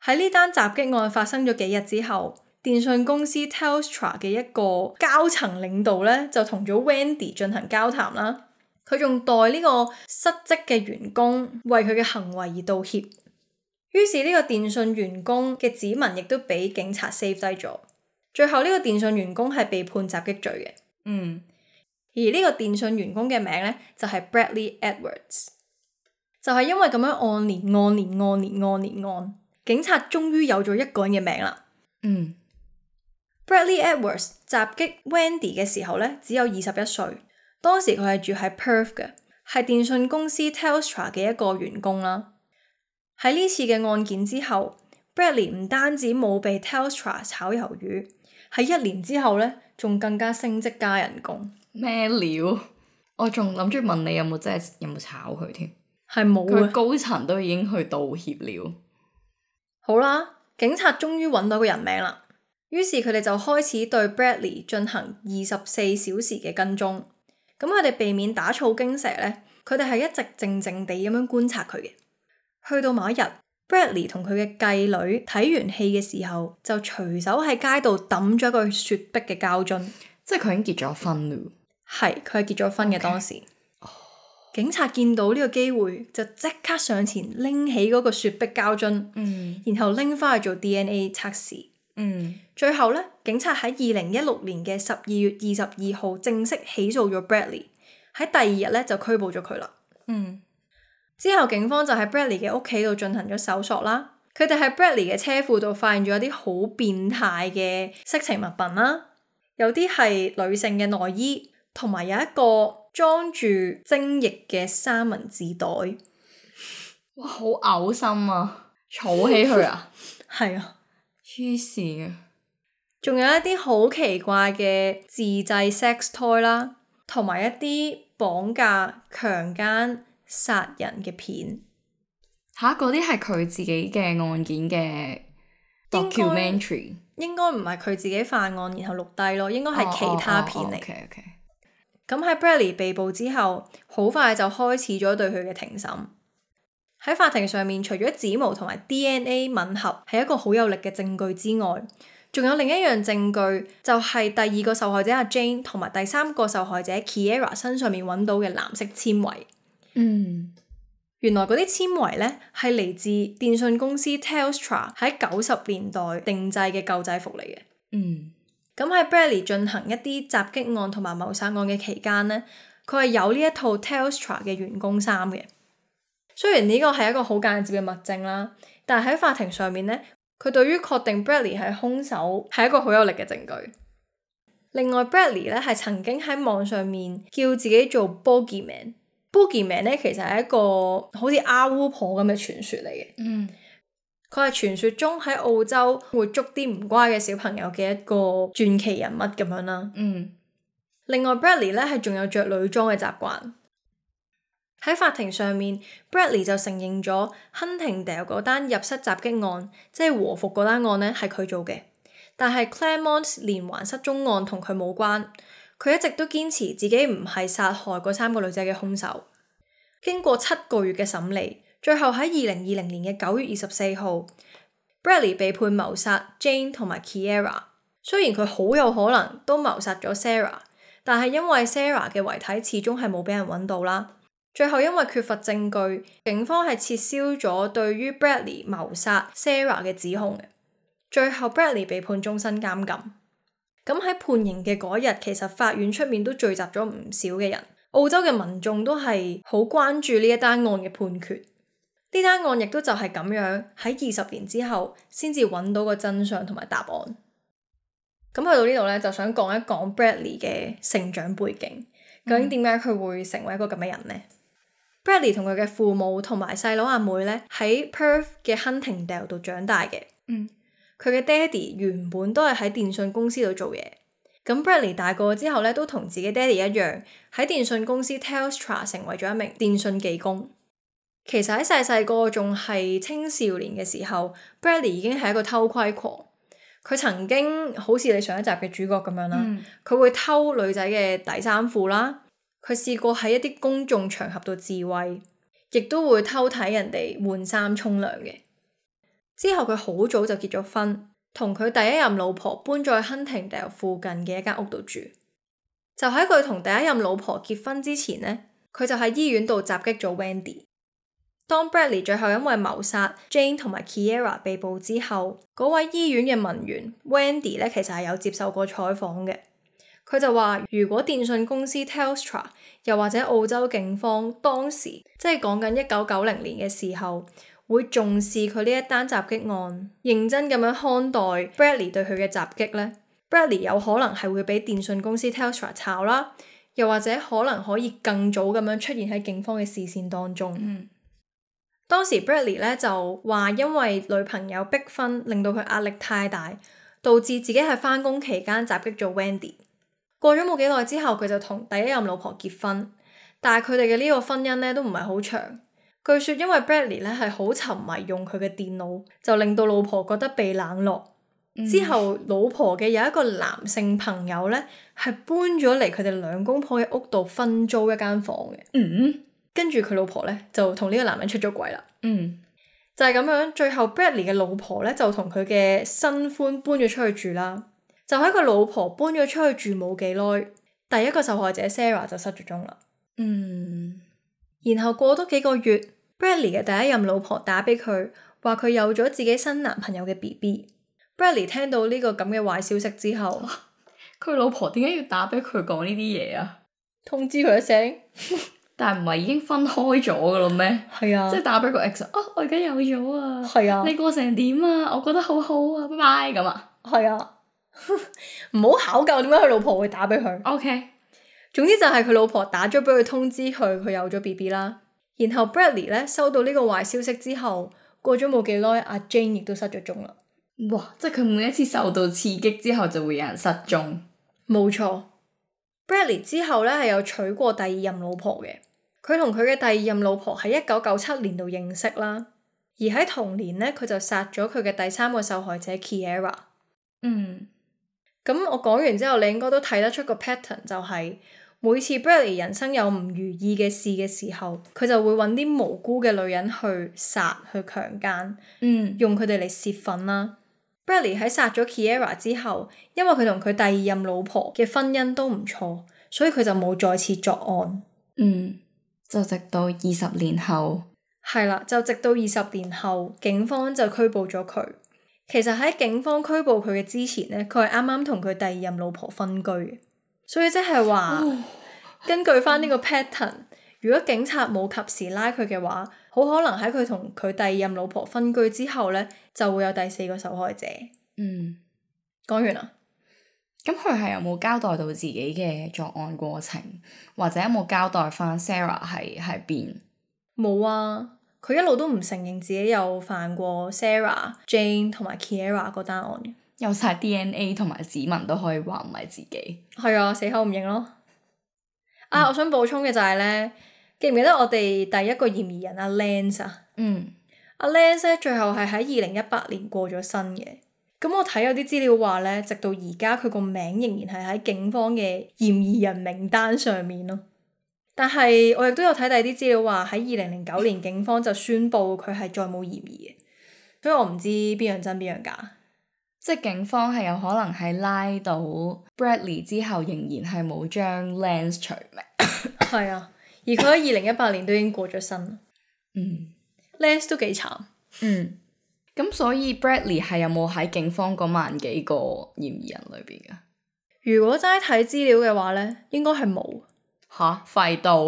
喺呢單襲擊案發生咗幾日之後，電信公司 Telstra 嘅一個高層領導呢，就同咗 Wendy 進行交談啦。佢仲代呢個失職嘅員工為佢嘅行為而道歉。於是呢個電信員工嘅指紋亦都俾警察 save 低咗。最後呢個電信員工係被判襲擊罪嘅。而呢個電信員工嘅名呢，就係 Bradley Edwards。就係因為咁樣按年，警察終於有咗一個人嘅名啦。Bradley Edwards 襲擊 Wendy 嘅時候呢，只有21歲。當時佢係住喺 Perth 嘅，係電信公司 Telstra 嘅一個員工啦。喺呢次嘅案件之後， Bradley 唔單止冇被 Telstra 炒魷魚，喺1年之後呢，仲更加升職加人工。咩料？我仲諗住問你有冇炒佢添？係冇啊！佢高層都已經去道歉了。好啦，警察終於揾到個人名啦，於是佢哋就開始對 Bradley 進行24小時嘅跟蹤。咁佢哋避免打草驚蛇呢，佢哋係一直靜靜地咁樣觀察佢嘅。去到某一日， Bradley 同佢嘅繼女睇完戲嘅時候，就隨手喺街度抌咗一個雪碧嘅膠樽。即係佢已經結咗婚了。係，佢係結咗婚嘅。當時警察見到呢個機會，就即刻上前拎起嗰個雪碧膠樽，然後拎翻去做 DNA 測試。最後呢，警察喺2016年嘅12月22號正式起訴咗 Bradley， 喺第2日呢就拘捕咗佢啦。之後警方就喺 Bradley 嘅屋企度進行咗搜索啦。佢哋喺 Bradley 嘅車庫度發現咗一啲好變態嘅色情物品啦，有啲係女性嘅內衣，同埋有一個裝住精液嘅三文治袋。哇，好嘔心啊！儲起佢啊！係啊，黐線啊！仲有一啲好奇怪嘅自製 sex toy 啦，同埋一啲綁架、強姦、殺人嘅片。嗰啲係佢自己嘅案件嘅 documentary。應該唔係佢自己犯案然後錄低咯，應該係其他片嚟。咁喺 Bradley 被捕之後，好快就開始咗對佢嘅庭審。喺法庭上面，除咗指模同埋 DNA 吻合係一個好有力嘅證據之外，仲有另一樣證據，就係第2個受害者阿 Jane 同埋第3個受害者 Kiera 身上面揾到嘅藍色纖維。原來嗰啲纖維呢係嚟自電信公司 Telstra 喺90年代定製嘅舊制服嚟嘅。咁喺 Bradley 進行一啲襲擊案同埋謀殺案嘅期間呢，佢係有呢一套 Telstra 嘅員工衫嘅。雖然呢個係一個好間接嘅物證啦，但係喺法庭上面呢，佢對於確定 Bradley 係兇手係一個好有力嘅證據。另外 Bradley 呢係曾經喺網上面叫自己做 Boogeyman。Boogeyman 呢其實係一個好似阿巫婆咁嘅傳說嚟嘅。佢係傳說中喺澳洲會捉啲唔乖嘅小朋友嘅一個傳奇人物咁樣啦。另外 Bradley 呢係仲有着女裝嘅習慣。喺法庭上面 Bradley 就承認咗 Huntingdale 嗰單入室襲擊案，即係和服嗰單案呢係佢做嘅，但係 Claremont 連環失蹤案同佢冇關。佢一直都堅持自己唔係殺害嗰3個女仔嘅兇手。經過7個月嘅審理，最後喺2020年嘅9月24號 Bradley 被判謀殺 Jane 同埋 Kiera。雖然佢好有可能都謀殺咗 Sarah， 但係因為 Sarah 嘅遺體始終係冇俾人揾到啦。最後因為缺乏證據，警方係撤銷咗對於 Bradley 謀殺 Sarah 嘅指控嘅。最後 Bradley 被判終身監禁。咁喺判刑嘅嗰日，其實法院出面都聚集咗唔少嘅人，澳洲嘅民眾都係好關注呢一單案嘅判決。呢單案亦都就係咁樣喺20年之後先至揾到個真相同埋答案。咁去到呢度呢，就想講一講 Bradley 嘅成長背景，究竟點解佢會成為一個咁嘅人呢？Bradley 同佢嘅父母同埋細佬阿妹呢，喺 Perth 嘅 Huntingdale 度長大嘅。佢嘅爹哋原本都係喺電信公司度做嘢。咁 Bradley 大個之後呢，都同自己爹哋一樣喺電信公司 Telstra 成為咗一名電信技工。其實喺細細個仲係青少年嘅時候 Bradley 已經係一個偷窺狂。佢曾經好似你上一集嘅主角咁樣啦，佢會偷女仔嘅底衫褲啦，佢試過喺一啲公眾場合度自慰，亦都會偷睇人哋換衫沖涼嘅。之後佢好早就結咗婚，同佢第一任老婆搬咗去 Huntingdale 附近嘅一間屋度住。就喺佢同第一任老婆結婚之前呢，佢就喺醫院度襲擊咗 Wendy。當 Bradley 最後因為謀殺 Jane 同埋 Kiera 被捕之後，嗰位醫院嘅文員 Wendy 咧，其實係有接受過採訪嘅。佢就話如果電訊公司 Telstra 又或者澳洲警方當時即係講緊1990年嘅時候，會重視佢呢一單襲擊案，認真咁樣看待 Bradley 對佢嘅襲擊呢， Bradley 有可能係會俾電訊公司 Telstra 炒啦，又或者可能可以更早咁樣出現喺警方嘅視線當中。當時 Bradley 咧就話因為女朋友逼婚令到佢壓力太大，導致自己喺返工期間襲擊咗 Wendy。過咗冇幾耐之後，佢就同第一任老婆結婚，但係佢哋嘅呢個婚姻咧都唔係好長。據說因為 Bradley 咧係好沉迷用佢嘅電腦，就令到老婆覺得被冷落。之後老婆嘅有一個男性朋友咧係搬咗嚟佢哋兩公婆嘅屋度分租一間房嘅。跟住佢老婆咧就同呢個男人出咗軌啦。就係咁樣，最後 Bradley 嘅老婆咧就同佢嘅新歡搬咗出去住啦。就喺佢老婆搬咗出去住冇幾耐，第一個受害者 Sarah 就失咗蹤啦。然後過多幾個月 Bradley 嘅第一任老婆打俾佢，話佢有咗自己新男朋友嘅 BB。 Bradley 聽到呢個咁嘅壞消息之後，佢老婆點解要打俾佢講呢啲嘢啊？通知佢一聲。但係唔係已經分開咗噶啦咩？係啊，即係打俾個 ex， 我而家有咗啊！係啊，你過成點啊？我覺得好好啊，拜拜咁啊！係啊，唔好考究點解佢老婆會打俾佢。OK，總之就係佢老婆打咗俾佢通知佢有咗 BB 啦。然後 Bradley 咧收到呢個壞消息之後，過咗冇幾耐，阿 Jane 亦都失咗蹤啦。哇！即係佢每一次受到刺激之後就會有人失蹤。冇錯。Bradley 之後咧係有娶過第二任老婆嘅，佢同佢嘅第二任老婆喺1997年度認識啦，而喺同年咧佢就殺咗佢嘅第三個受害者 Kiera。咁我講完之後，你應該都睇得出個 pattern， 就係每次 Bradley 人生有唔如意嘅事嘅時候，佢就會揾啲無辜嘅女人去殺去強姦，用佢哋嚟泄憤啦。Bradley 喺殺咗 Kiera 之後，因為佢同佢第二任老婆嘅婚姻都唔錯，所以佢就冇再次作案。就直到20年後。係啦，就直到20年後，警方就拘捕咗佢。其實喺警方拘捕佢嘅之前呢，佢係啱啱同佢第二任老婆分居嘅，所以即係話根據翻呢個 pattern，如果警察冇及時拉佢嘅話，好可能喺佢同佢第二任老婆分居之後呢，就會有第四個受害者。講完啦。咁佢係有冇交代到自己嘅作案過程，或者有冇交代翻 Sarah 係喺邊？冇啊，佢一路都唔承認自己有犯過 Sarah、Jane 同埋 Kiera 嗰單案嘅。有晒 DNA 同埋指紋都可以話唔係自己。係啊，死口唔認咯。我想補充嘅就係咧，記唔記得我哋第一個嫌疑人阿 Lance 啊？阿 Lance 咧最後係喺2018年過咗身嘅。咁我睇有啲資料話咧，直到而家佢個名仍然係喺警方嘅嫌疑人名單上面咯。但係我亦都有睇第二啲資料話喺2009年警方就宣布佢係再冇嫌疑嘅，所以我唔知邊樣真邊樣假。即係警方係有可能係拉到 Bradley 之後，仍然係冇將 Lance 除名。係啊，而佢喺2018年都已經過咗身。Lance 都幾慘。咁所以 Bradley 係有冇喺警方嗰萬幾個嫌疑人裏邊噶？如果齋睇資料嘅話咧，應該係冇。吓，廢到！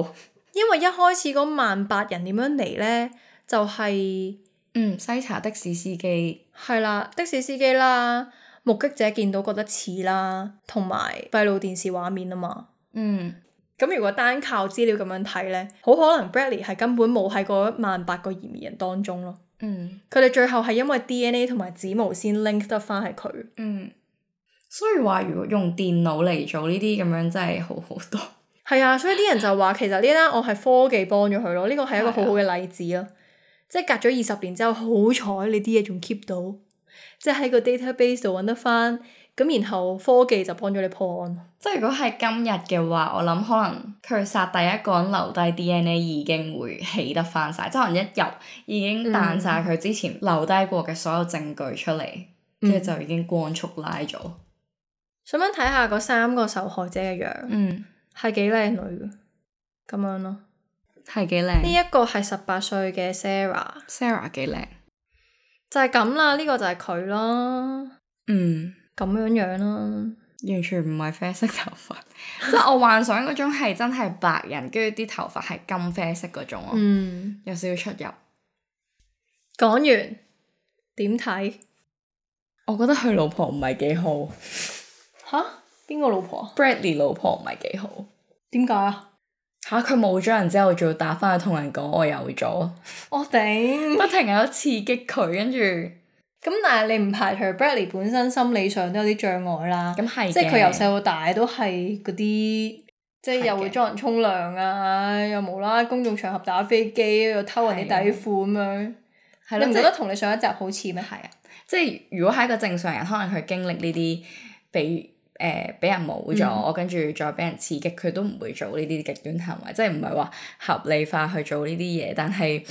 因為一開始嗰18000人點樣嚟咧，就係篩查的士司機。係啦，的士司機啦，目擊者見到覺得似啦，同埋閉路電視畫面啊嘛。咁如果單靠資料咁樣睇咧，好可能 Bradley 係根本冇喺嗰18000個嫌疑人當中咯。佢哋最後係因為 DNA 同埋指模先 link 得翻係佢。所以話如果用電腦嚟做呢啲咁樣真係好好多。係啊，所以啲人就話其實呢單案係科技幫咗佢咯，呢個係一個好好嘅例子咯。即係隔咗20年之後，好彩你啲嘢仲 keep 到，即係喺個 database 度揾得翻，咁然後科技就幫咗你破案。即係如果係今日嘅話，我諗可能佢殺第一個人留低 DNA 已經會起得翻晒，即係可能一入已經彈晒佢之前留低過嘅所有證據出嚟，跟住就已經光速拉咗。想唔想睇下嗰3個受害者嘅樣？係幾靚女嘅，咁樣咯。係幾靚？呢一個係18歲嘅 Sarah 幾靚？就係咁啦，呢個就係佢啦。咁樣樣啦。完全唔係啡色頭髮，即係我幻想嗰種係真係白人，跟住啲頭髮係金啡色嗰種咯。有少少出入。講完點睇？我覺得佢老婆唔係幾好。吓？邊個老婆？Bradley 老婆唔係幾好。點解啊？佢冇咗人之後，仲要打翻去同人講我有咗。我頂！不停喺度刺激佢，跟住。咁但係你唔排除 Bradley 本身心理上都有啲障礙啦。咁係嘅。即係佢由細到大都係嗰啲，即係又會裝人沖涼啊，又無啦啦公眾場合打飛機，又偷人啲底褲咁樣。係咯。你唔覺得同你上一集好似咩？係啊。即係如果係一個正常人，可能佢經歷呢啲俾人冇咗，跟住再俾人刺激，佢都唔會做呢啲極端行為，即係唔係話合理化去做呢啲嘢，但係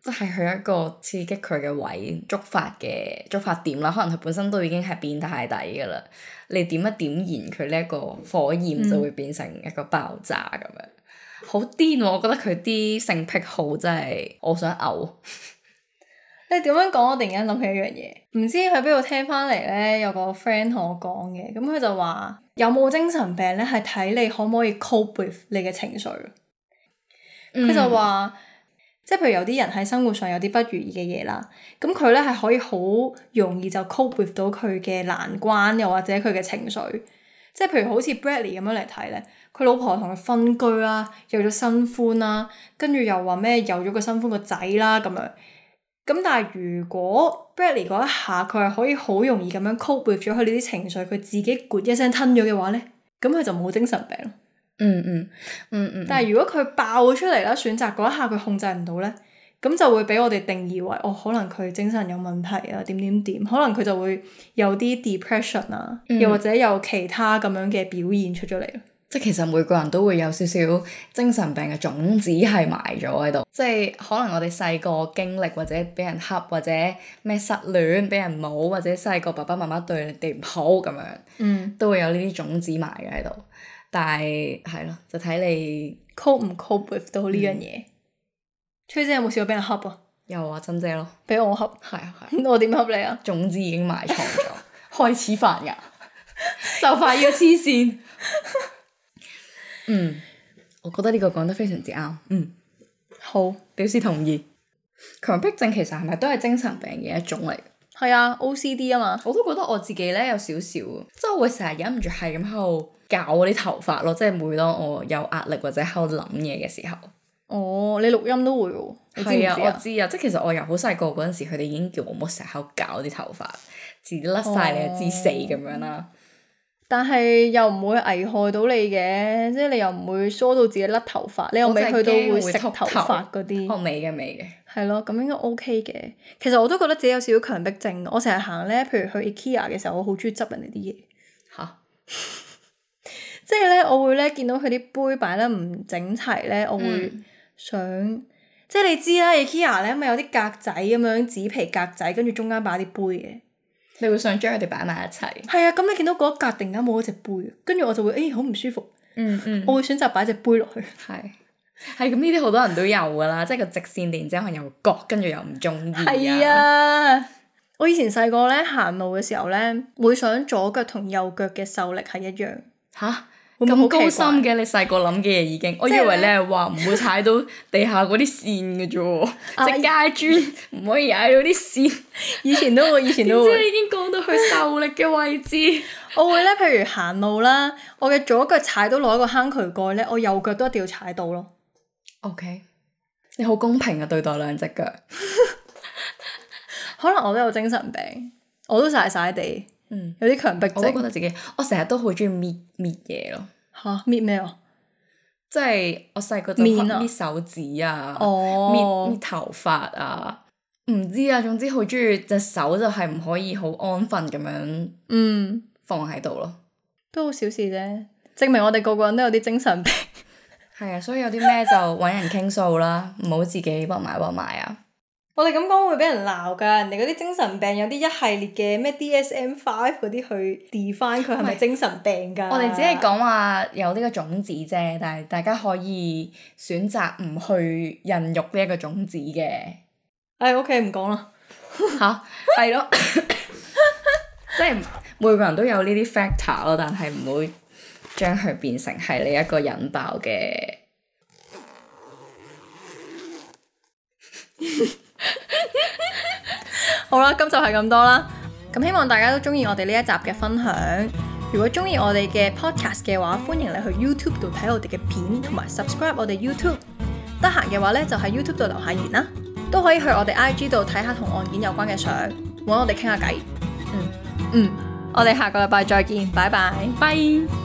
即係佢一個刺激佢嘅位，觸發點啦。可能佢本身都已經係變態底噶啦，你點一點燃佢呢一個火焰，就會變成一個爆炸咁樣，好癲喎！我覺得佢啲性癖好真係我想嘔。你點樣講？我突然間諗起一樣嘢，唔知喺邊度聽翻嚟咧，有個 friend 同我講嘅，咁佢就話有冇精神病咧，係睇你可唔可以 cope with 你嘅情緒。佢就話，即係譬如有啲人喺生活上有啲不如意嘅嘢啦，咁佢咧係可以好容易就 cope with 到佢嘅難關，又或者佢嘅情緒。即係譬如好似 Bradley 咁樣嚟睇咧，佢老婆同佢分居啦，有咗新歡啦，跟住又話咩有咗個新歡個仔啦咁樣。咁但係如果 Bradley 嗰一下佢係可以好容易咁樣 cope with 咗佢呢啲情緒，佢自己咕一聲吞咗嘅話咧，咁佢就冇精神病。但係如果佢爆咗出嚟啦，選擇嗰一下佢控制唔到咧，咁就會俾我哋定義為可能佢精神有問題啊，點，可能佢就會有啲 depression 啊，又或者有其他咁樣嘅表現出咗嚟。即係其實每個人都會有少少精神病嘅種子係埋咗喺度，即係可能我哋細個經歷或者俾人恰或者咩失戀俾人冇，或者細個爸爸媽媽對你哋唔好咁樣，都會有呢啲種子埋嘅喺度。但係係咯，就睇你 cope 唔 cope with 到呢樣嘢。崔姐有冇試過俾人恰啊？有啊，珍姐咯，俾我恰。係啊。我點恰你啊？種子已經埋藏咗，開始發芽，就快要黐線。我覺得呢個講得非常之啱。好，表示同意。強迫症其實係咪都係精神病嘅一種嚟？係啊 ，OCD 啊嘛。我都覺得我自己咧有少少，即係我會成日忍唔住係咁喺度搞我啲頭髮咯，即係每當我有壓力或者喺度諗嘢嘅時候。你錄音都會喎？係啊，我知啊，即係其實我由好細個嗰陣時，佢哋已經叫我唔好成日喺度搞啲頭髮，自己甩晒你就知死咁樣啦。但係又唔會危害到你嘅，即係你又唔會梳到自己甩頭髮，你又未去到會食頭髮嗰啲。我未嘅。係咯，咁應該 OK 嘅。其實我都覺得自己有少少強迫症，我成日行咧，譬如去 IKEA 嘅時候，我好中意執人哋啲嘢。嚇！即係咧，我會咧見到佢啲杯擺得唔整齊咧，我會想，即係你知啦，IKEA 咧咪有啲格仔咁樣紙皮格仔，跟住中間擺啲杯嘅。你會想將佢哋擺埋一齊？係啊，咁你見到嗰一格突然間冇咗隻杯，跟住我就會好唔舒服。我會選擇擺隻杯落去。係咁，呢啲好多人都有噶啦，即係個直線突然之間又割，跟住又唔中意。係啊！我以前細個咧行路嘅時候咧，會想左腳同右腳嘅受力係一樣。嚇！咁高深嘅，你細個諗嘅嘢已經，我以為你係話唔會踩到地下嗰啲線嘅啫喎，即街磚唔可以踩到啲線。以前都會。點知你已經講到去受力嘅位置。我會咧，譬如行路啦，我嘅左腳踩到落一個坑渠蓋咧，我右腳都一定要踩到咯。OK， 你好公平啊，對待兩隻腳。可能我都有精神病，我都曬地。有啲強迫症。我都覺得自己，我成日都好中意搣嘢咯。嚇搣咩啊？即係我細個就面啊搣手指啊，哦搣頭髮啊，唔知啊，總之好中意隻手就係唔可以好安分咁樣放喺度咯。都好小事啫，證明我哋個個人都有啲精神病。係啊，所以有啲咩就揾人傾訴啦，唔好自己屈埋啊。我哋咁講會俾人鬧㗎，人哋嗰啲精神病有啲一系列嘅咩 DSM-5 嗰啲去 define 佢係咪精神病㗎？我哋只係講話有呢個種子啫，但係大家可以選擇唔去孕育呢一個種子嘅。OK 唔講啦。嚇，係咯，即係每個人都有呢啲 factor 咯，但係唔會將佢變成係你一個引爆嘅。好啦，今集係咁多啦。咁希望大家都中意我哋呢一集嘅分享。如果中意我哋嘅 podcast 嘅話，歡迎你去 YouTube 度睇我哋嘅片，同埋 subscribe 我哋 YouTube。得閒嘅話呢，就喺 YouTube 度留下言啦。都可以去我哋 IG 度睇下同案件有關嘅相，揾我哋傾下偈。我哋下個禮拜再見，拜拜。拜。